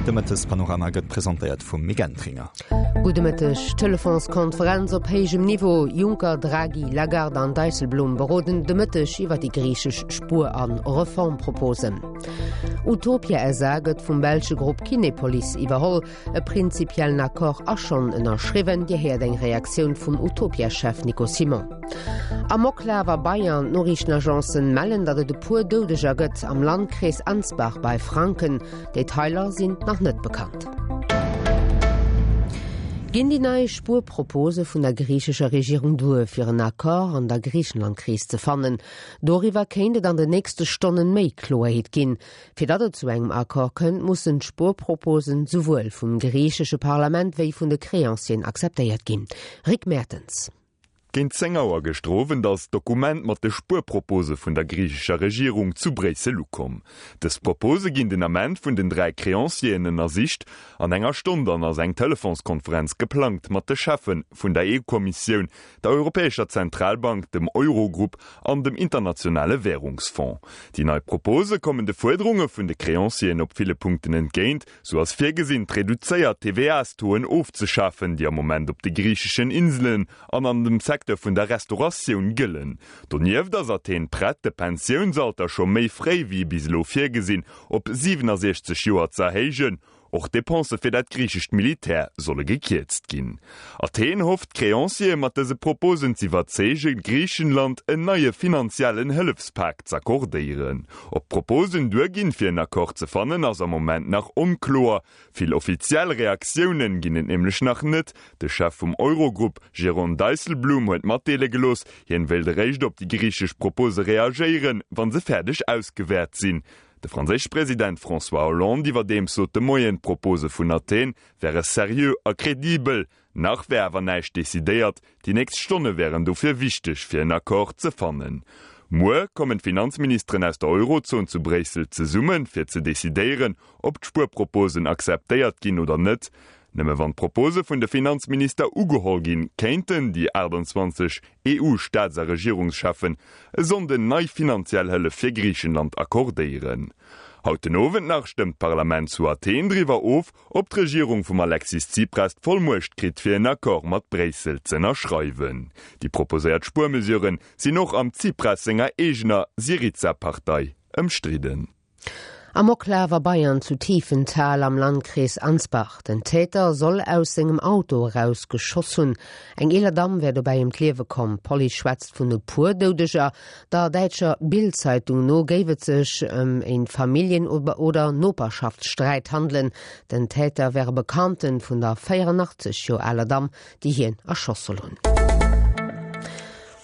De Mëttespanorama gëtt presentéiert vum Mick Entringer. Gudde Mëtteg. Telefonskonferenz op héijem Niveau, Juncker, Draghi, Lagarde an Dijsselbloem beroden de Mëtteg iwwer déi griichesch Spuer a Reformproposen. Utopia SA gëtt vum belsche Grupp Kinepolis iwwerholl. E prinzipiellen Accord ass schonn ënnerschriwwen, Dir héiert eng Reaktioun vum Utopia-Chef Nico Simon. Amoklaf a Bayern, D'Noriichtenagencen mellen, datt et e puer Doudeger gëtt am Landkrees Ansbach bei Franken. Detailer sinn nach net bekannt. Ginn déi nei Spuerpropose vun der griichescher Regierung duer, fir en Accord an der Griichenland-Kris ze fannen? Doriwwer kéint et an den nächste Stonnen méi Kloerheet ginn. Fir datt et zu engem Accord kënnt, mussen d'Spuerproposen souwuel vum griichesche Parlament wéi vun de Creancieren akzeptéiert ginn. Rick Mertens. Géint 10 Auer gëschter Owend ass d'Dokument mat de Spuerpropose vun der griichescher Regierung zu Bréissel ukomm. Dës Propose ginn den Ament vun den 3 Creancieren ënnersicht. An enger Stonn dann ass eng Telefonskonferenz geplangt mat de Cheffe vun der EU-Kommissioun, der Europäescher Zentralbank, dem Eurogrupp an dem Internationale Währungsfonds. Déi nei Propose kommen de Fuerderunge vun de Creancieren op ville Punkten entgéint. Sou ass virgesinn, d'reduzéiert TVA-Stoen ofzeschafen, déi am Moment op de griicheschen Inselen an an dem Secteur vun der Restauratioun gëllen. Donieft ass Athen prett, de Pensiounsalter scho méi fréi wéi bis elo virgesinn op 67 Joer ze erhéijen. Och d'Depensë fir dat griichescht Militär solle gekierzt ginn. Athen hofft, d'Creanciere mat dëse Proposen z'iwwerzeegen, Griichenland en neie finanziellen Hëllefspak z'accordéieren. Ob d'Proposen duerginn, fir en Accord ze fannen, ass am Moment nach onkloer. Vill offiziell Reaktiounen ginn et nämlech nach net. De Chef vum Eurogrupp, Jeroen Dijsselbloem, huet matdeele gelooss, hien wéilt eréischt op déi griichesch Propose reagéieren, wa se fäerdeg ausgewäert sinn. De franséische President François Hollande iwwerdeems sot de Moien, d'Propose vun Athen wäre seriö a kredibel. Nach wär awer näischt decidéiert, déi nächst Stonne wären dofir wichteg, fir en Accord ze fannen. Muer kommen d'Finanzministeren aus der Eurozon zu Bréissel zesummen, fir ze decidéieren, ob d'Spuerproposen akzeptéiert ginn oder net. Nëmme wann d'Propose vun de Finanzminister ugeholl ginn, kéinten déi 28 EU-Staats a Regierungscheffen e Sonnden nei finanziell Hëllef fir Griichenland accordéieren. Haut den Owend nach stëmmt d'Parlament zu Athen driwwer of, ob d'Regierung vum Alexis Tsipras d'Vollmuecht kritt fir en Accord mat Bréissel z'ënnerschreiwen. Déi proposéiert Spuermesurë sinn och am Tsipras senger eegener Syriza-Partei ëmstridden. Amoklaf a Bayern zu Tiefenthal am Landkrees Ansbach. Den Täter soll aus sengem Auto eraus geschoss hunn. Eng eeler Damm wär dobäi ëm d'Liewe komm. D'Police schwätzt vun e puer Doudeger. Der däitscher Bild-Zeitung no géif et sech ëm e Familljen oder Noperschaftssträit handelen. Den Täter wär e Bekannte vun der 84 Joer aler Damm, déi hien erschoss soll hunn.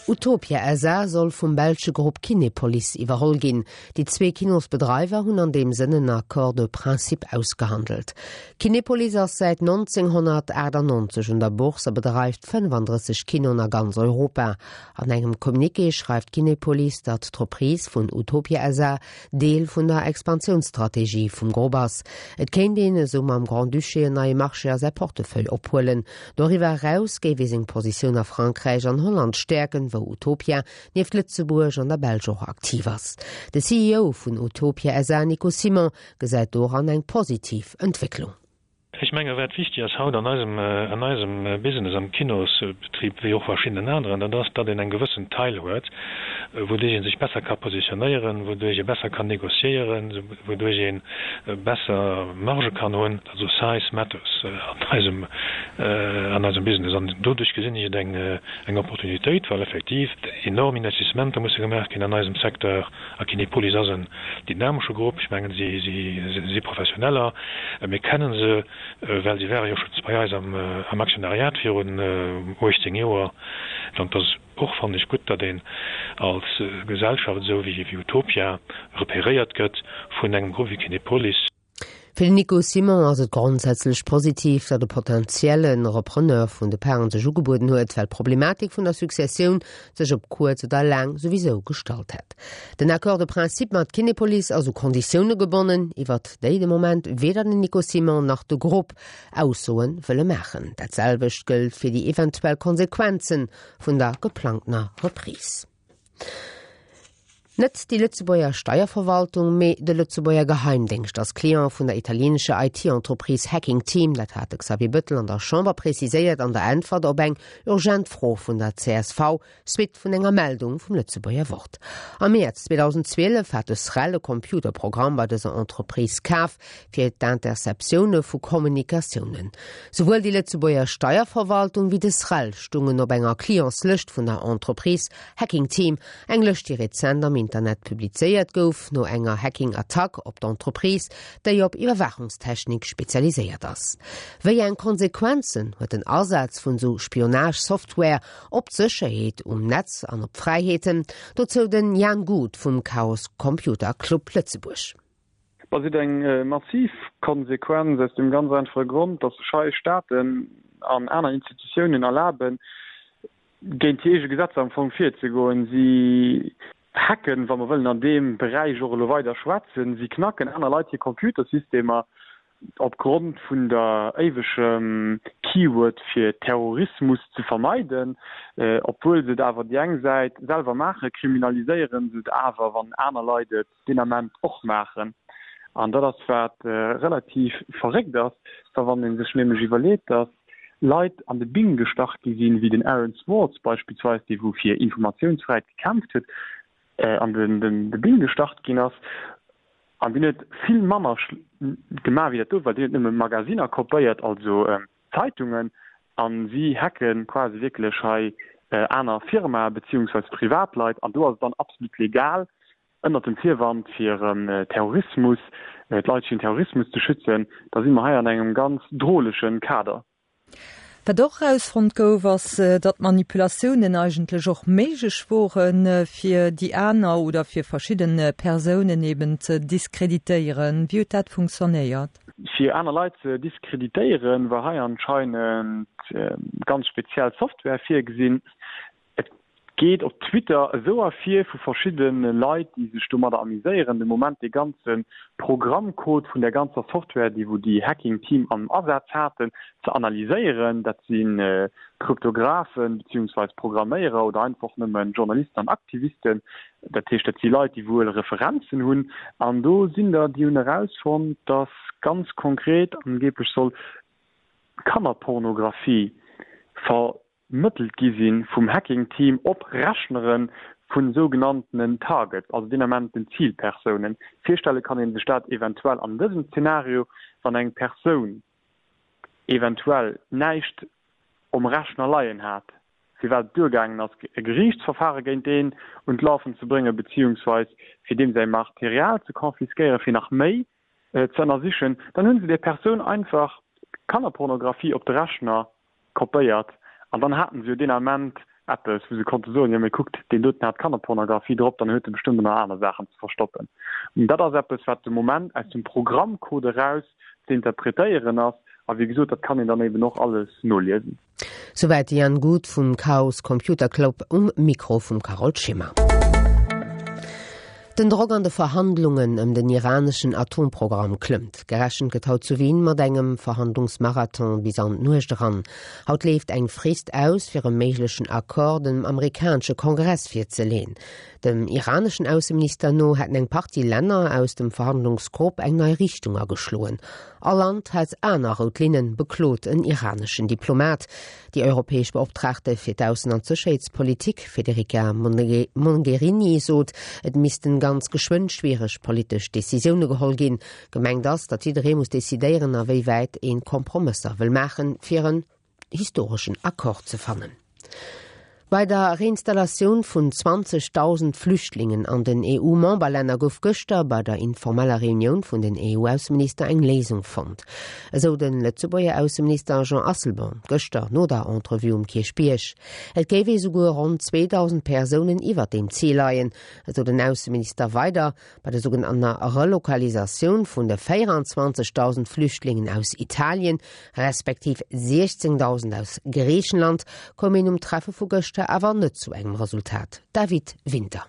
Utopia SA soll vum belsche Grupp Kinepolis iwwerholl ginn. Déi zwee Kinosbedreiwer hunn an deem Sënn en Accord de principe ausgehandelt. Kinepolis ass säit 1998 un der Bourse a bedreift 35 Kinoen a ganz Europa. An engem Communiqué schreift Kinepolis, datt d'Reprise vun Utopia SA Deel vun der Expansiounsstrategie vum Grupp ass. Et kéint een esou mam Grand-Duché en neie Marché a säi Portefeuille ophuelen. Doriwwer eraus géif ee seng Positioun a Frankräich an Holland stäerken, wou Utopia nieft Lëtzebuerg an der Belsch och aktiv ass. De CEO vun Utopia SA, Nico Simon, gesäit doran eng positiv Entwécklung. Ech menge wat wichtig ass haut an eisem, an eisem Business, am Kinosbetrib wéi och verschiddenen aneren, dat ass, datt een eng gewëssen Taille huet, wouduerch ee sech besser ka positionéieren, wouduerch ee besser kann négociéieren, wouduerch ee besser Marge kann hunn. Also size matters an eisem, an eisem Business. An doduerch gesinn ech et eng, eng Opportunitéit, well effektiv enorm Investissementer musse gemaach ginn an eisem Secteur. A Kinepolis ass en dynamesche Grupp. Ech mengen, si si Professioneller. Mir kennen se, well si ware jo schonns bei eis am Aktionariat virun 18 Joer. An et ass och, fannen ech, gutt, datt een als Gesellschaft esou wéi Utopia repéréiert gëtt vun engem Grupp wéi Kinepolis. Fir den Nico Simon ass et grondsätzlech positiv, datt e potentielle Repreneur vun de Paren sech ugebueden huet, well d'Problematik vun der Successioun sech op kuerz oder laang souwisou gestallt hätt. Den Accord de principe mat Kinepolis ass u Konditioune gebonnen, iwwert déi de Moment weder den Nico Simon nach de Grupp Aussoe wëlle maachen. Dat selwecht gëllt fir déi eventuell Konsequenze vun der geplangtener Reprise. Net déi Lëtzebuerger Steierverwaltung, mee de Lëtzebuerger Geheimdéngscht ass Client vun der italieenescher IT-Entreprise Hacking Team. Dat hat de Xavier Bëttel an der Chamber preziséiert an der Äntwert op eng urgent Fro vun der csv, Suite vun enger Meldung vum Lëtzebuerger Wort. Am Mäerz 2012 hat de SREL e Computerprogramm bei dëser Entreprise kaf fir d'Interceptioune vu Kommunikatiounen. Souwuel déi Lëtzebuerger Steierverwaltung wéi de SREL stungen op enger Clientslëscht vun der Entreprise Hacking Team, eng Lëscht déi rezent am Internet publizéiert gouf no enger Hacking-Attack op d'Entreprise, déi op Iwwerwaachungstechnik spezialiséiert ass. Wéi eng Konsequenzen huet den Asaz vun sou Spionage-Software Op d'Sécherheet um Netz an op d'Fräiheeten, dozou den Jan Guth vum Chaos Computer Club Lëtzebuerg. Bah, se huet eng massiv Konsequenz aus dem ganz einfache Grond, datt sech hei Staaten an aner Institutiounen erlaben, géint hir eege Gesetzer am Fong virzegoen. Si hacken, wa mer wëllen an deem Beräich och elo weider schwätzen, si knacken aner Leit hir Computersystemer Opgrond vun der éiwegem Keyword fir Terrorismus ze vermeiden, obwuel se et awer déi eng Säit selwer maachen, kriminaliséiere se et awer, wann aner Leit et deen Ament och maachen. An dat ass wat relativ verréckt ass, well wann ee sech nämlech iwwerleet, datt Leit an de Bing gestach gi sinn, wéi den Aaron Swartz beispillsweis, dee wou fir Informatiounsfräiheet gekämpft huet, an de Bing gestach ginn ass, An deen huet vill manner gemaach wéi dat do, well deen huet nëmme Magasinner kopéiert, also Zeitungen, a si hacke quasi wierklech hei aner Firmae beziehungsweis Privatleit. An do ass et dann absolut legal, ënnert dem Virwand fir Terrorismus, d'Leit virun Terrorismus ze schützen. Da si mer hei an engem ganz droleche Kader. Wat och erausfonnt gouf, ass, datt Manipulatiounen eigentlech och méiglech woren, fir déi aner oder fir verschidde Persounen eben ze diskreditéieren. Wéi huet dat funktionéiert? Fir aner Leit ze diskreditéieren, war hei anscheinend ganz speziell Software virgesinn. Et geet op Twitter esou ervir vu verschidde Leit, déi sech domadder amuséieren, de Moment dee ganze Programmcode vun där ganzer Software, déi wou déi Hacking Team am Asaz haten, ze analyséieren. Dat si Kryptographen beziehungsweis Programméierer oder einfach nëmme Journalisten an Aktivisten. Dat heescht, dat si Leit, déi wuel Referenzen hunn. An do sinn der, déi hunn erausfonnt, dass ganz konkret angeblech soll Kannerpornografie ver Mëttelt gi si vum Hacking-Team op Rechnere vu sougenanntenen Targets, also deen Ament den Zilpersounen. Virstelle kann ee sech dat eventuell an dësem Zenario, wann eng Persoun eventuell näischt um Rechner leien hat, firwat et duergaangen ass, e Geriichtsverfare géint deen un d'Lafen ze bréngen, beziehungsweis fir deem säi Material ze confisquéieren, fir nach méi ze ënnersichen, dann hunn se där Persoun einfach Kannerpornografie op de Rechner kopéiert an dann haten se jo deen Ament eppes, wou se konnte soen, jo mee kuckt, deen doten hat Kannerpornografie drop, dann huet e bestëmmt och nach aner Saachen ze verstoppen. An dat ass eppes, wat de Moment aus dem Programmcode eraus ze interpretéieren ass a wéi gesot, dat kann een dann eben och alles noliesen. Souwäit de Jan Guth vum Chaos Computer Club um Mikro vum Carole Schimmer. Den Drock an de Verhandlungen ëm den iraneschen Atomprogramm klëmmt. Gerechent gëtt haut zu Wien mat engem Verhandlungsmarathon bis an d'Nuecht eran. Haut leeft eng Frist aus, fir e méiglechen Accord dem amerikanesche Kongress virzeleeën. Dem iraneschen Ausseminister no hätten eng Partie Länner aus dem Verhandlungsgrupp eng nei Richtung ageschloen. All Land hätt aner rout Linnen, beklot en iraneschen Diplomat. Déi europäesch Beoptraagte fir d'Aussen an d'Sécherheetspolitik, Federica Mogherini, sot, et missten ganz geschwënn schwiereg politesch Decisioune geholl ginn. Gemengt ass, datt jidderee muss decidéieren, a wéi wäit ee Kompromësser wëll maachen, fir en historeschen Accord ze fannen. Bei der Reinstallatioun vun 20.000 Flüchtlingen an den EU-Memberlänner gouf gëschter bei der informeller Reunioun vun den EU-Ausseminister eng Léisung fonnt. Esou de Lëtzebuerger Ausseminister Jean Asselborn gëschter no der Entrevue um Kierchbierg. Et géif ee souguer ronn 2.000 Persounen iwwer deem Zil leien, esou den Ausseminister weider. Bei der sougenannter Relokalisatioun vun de 24.000 Flüchtlingen aus Italien, respektiv 16.000 aus Griichenland, koum een um Treffe vu gëschter awer net zu engem Resultat. David Winter.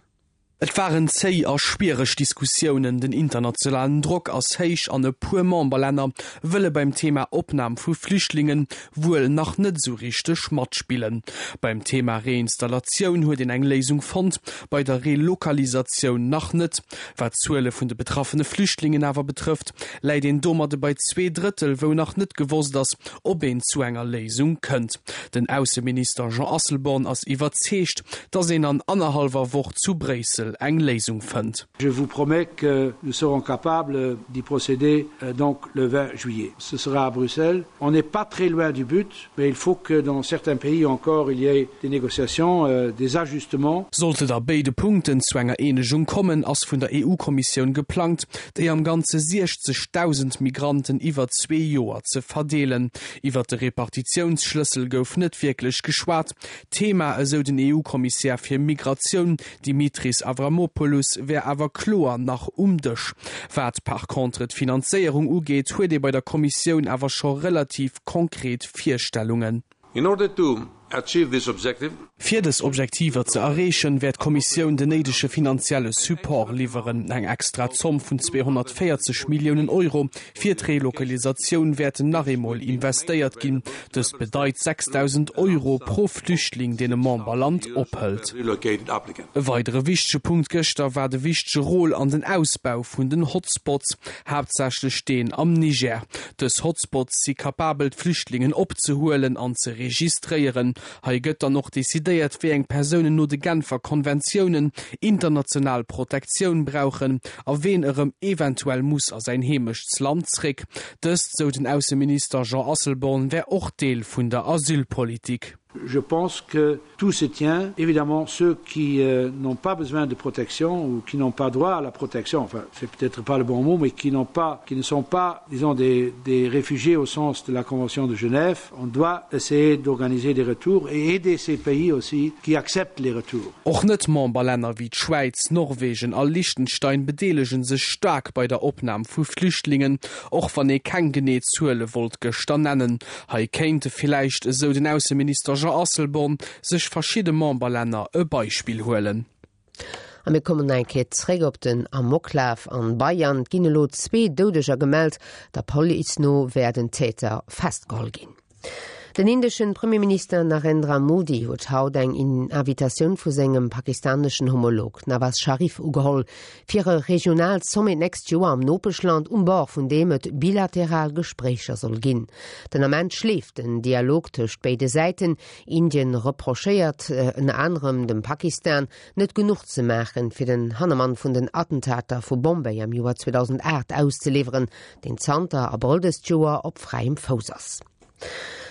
Et waren zéi a schwiereg Diskussiounen, den internationalen Drock ass héich an e puer Memberlänner wëlle beim Thema Opnam vu Flüchtlingen wuel nach net esou richteg matspillen. Beim Thema Reinstallatioun huet een eng Léisung fonnt, bei der Relokalisatioun nach net. Wat d'Zuele vun de betraffene Flüchtlingen awer betrëfft, läit een domadde bei Zweedrëttel, wou nach net gewosst ass, ob een zu enger Léisung kënnt. Den Ausseminister Jean Asselborn ass iwwerzeegt, datt een an annerhallwer Woch zu Bréissel eng Léisung fënnt. Je vous promets que nous serons capables d'y procéder donc le 20 juillet. Ce sera à Bruxelles. On n'est pas très loin du but, mais il faut que dans certains pays encore il y ait des négociations, des ajustements. Sollt et a béide Punkten zu enger Eenegung kommen, ass vun der EU-Kommissioun geplangt, déi am Ganze 60.000 Migranten iwwer zwee Joer ze verdeelen. Iwwer de Repartitiounsschlëssel gouf net wierklech geschwat. D'Thema, esou den EU-Kommissär fir Migratioun, Dimitris Avramopoulos, wär awer kloer nach um Dësch. Wat par contre d'Finanzéierung ugeet, huet ee bei der Kommissioun awer scho relativ konkret Virstellungen. In order to achieve this objective. Fir dës Objektiver ze erreechen, wäert d'Kommissioun den néidege finanzielle Support liwweren. Eng extra Zomm vun 240 Milliounen Euro fir d'Relokalisatioun wäerten nach eemol investéiert ginn. Dëst bedeit 6.000 Euro pro Flüchtling, deen e Memberland ophëlt. E weidere wichtege Punkt gëschter war de wichtege Rôle an den Ausbau vun den Hotspots, haaptsächlech deen am Niger. Dës Hotspots si kapabel d'Flüchtlingen opzehuelen an ze registréieren. Hei gëtt dann och decidéiert, wéi eng Persounen no de Genfer Konventiounen international Protektioun brauchen a ween erëm eventuell muss a säin Heemechtsland zréck. Dëst, sou den Ausseminister Jean Asselborn, wär och Deel vun der Asylpolitik. Je pense que tout se tient. Évidemment, ceux qui euh, n'ont pas besoin de protection ou qui n'ont pas droit à la protection, enfin, c'est peut-être pas le bon mot, mais qui, pas, qui ne sont pas, disons, des, des réfugiés au sens de la Convention de Genève, on doit essayer d'organiser des retours et aider ces pays aussi qui acceptent les retours. Och Net-Memberlänner wéi d'Schwäiz, Norwegen a Liechtenstein bedeelege sech staark bei der Opnam vu Flüchtlingen, och wann ee keng genee Zuele wollt gëschter nennen. Hei kéinte villäicht, esou den Ausseminister Jean Asselborn, sech verschidde Memberlänner e Beispill huelen. A mir kommen nach eng Kéier zréck op den Amoklaf an Bayern. Et ginn elo zwee Doudeger gemellt. Der Police no wär den Täter festgeholl ginn. Den indeschen Premierminister Narendra Modi huet haut eng Invitatioun vu sengem pakistaneschen Homolog Nawaz Sharif ugeholl, fir e regionaalt Sommet d'nächst Joer am Nopeschland, um Bord vun deem et bilateral Gespréicher soll ginn. Den Ament schleeft den Dialog tëscht béide Säiten. Indien reprochéiert ënner anerem dem Pakistan, net genuch ze maachen, fir den Hannermann vun den Attentater vu Bombay am Joer 2008 auszeliwweren, deen zanter Abrëll dëst Joer op fräiem Fouss ass.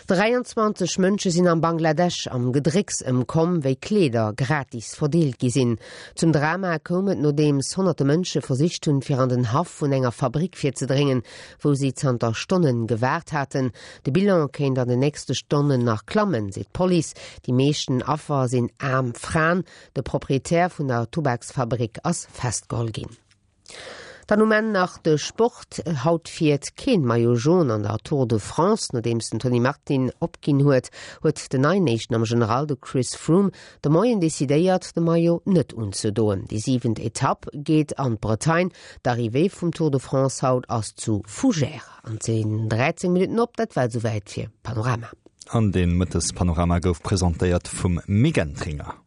23 Mënsche sinn am Bangladesch am Gedrécks ëmkomm, wéi Kleeder gratis verdeelt gi sinn. Zum Drama koum et, nodeems honnerte Mënsche versicht hunn, fir an den Haff vun enger Fabrick virzedréngen, wou si zanter Stonne gewaart haten. De Bilan kéint an den nächste Stonnen nach klammen, seet d'Police. Déi meeschten Affer sinn aarm Fraen. De Proprietär vun der Tubaksfabrick ass festgeholl ginn. Dann um Enn nach de Sport. Haut fiert keen Maillot Jaune an der Tour de France. Nodeems den Tony Martin opginn huet, huet den neien Éischten am General, de Chris Froome, de Moien decidéiert, de Maillot net unzedoen. Déi siwent Etapp geet an d'Bretagne. D'Arrivée vum Tour de France haut ass zu Fougères an et sinn 13 Minutten op. Dat war et esouwäit fir Panorama. An dee Mëttespanorama gouf presentéiert vum Mick Entringer.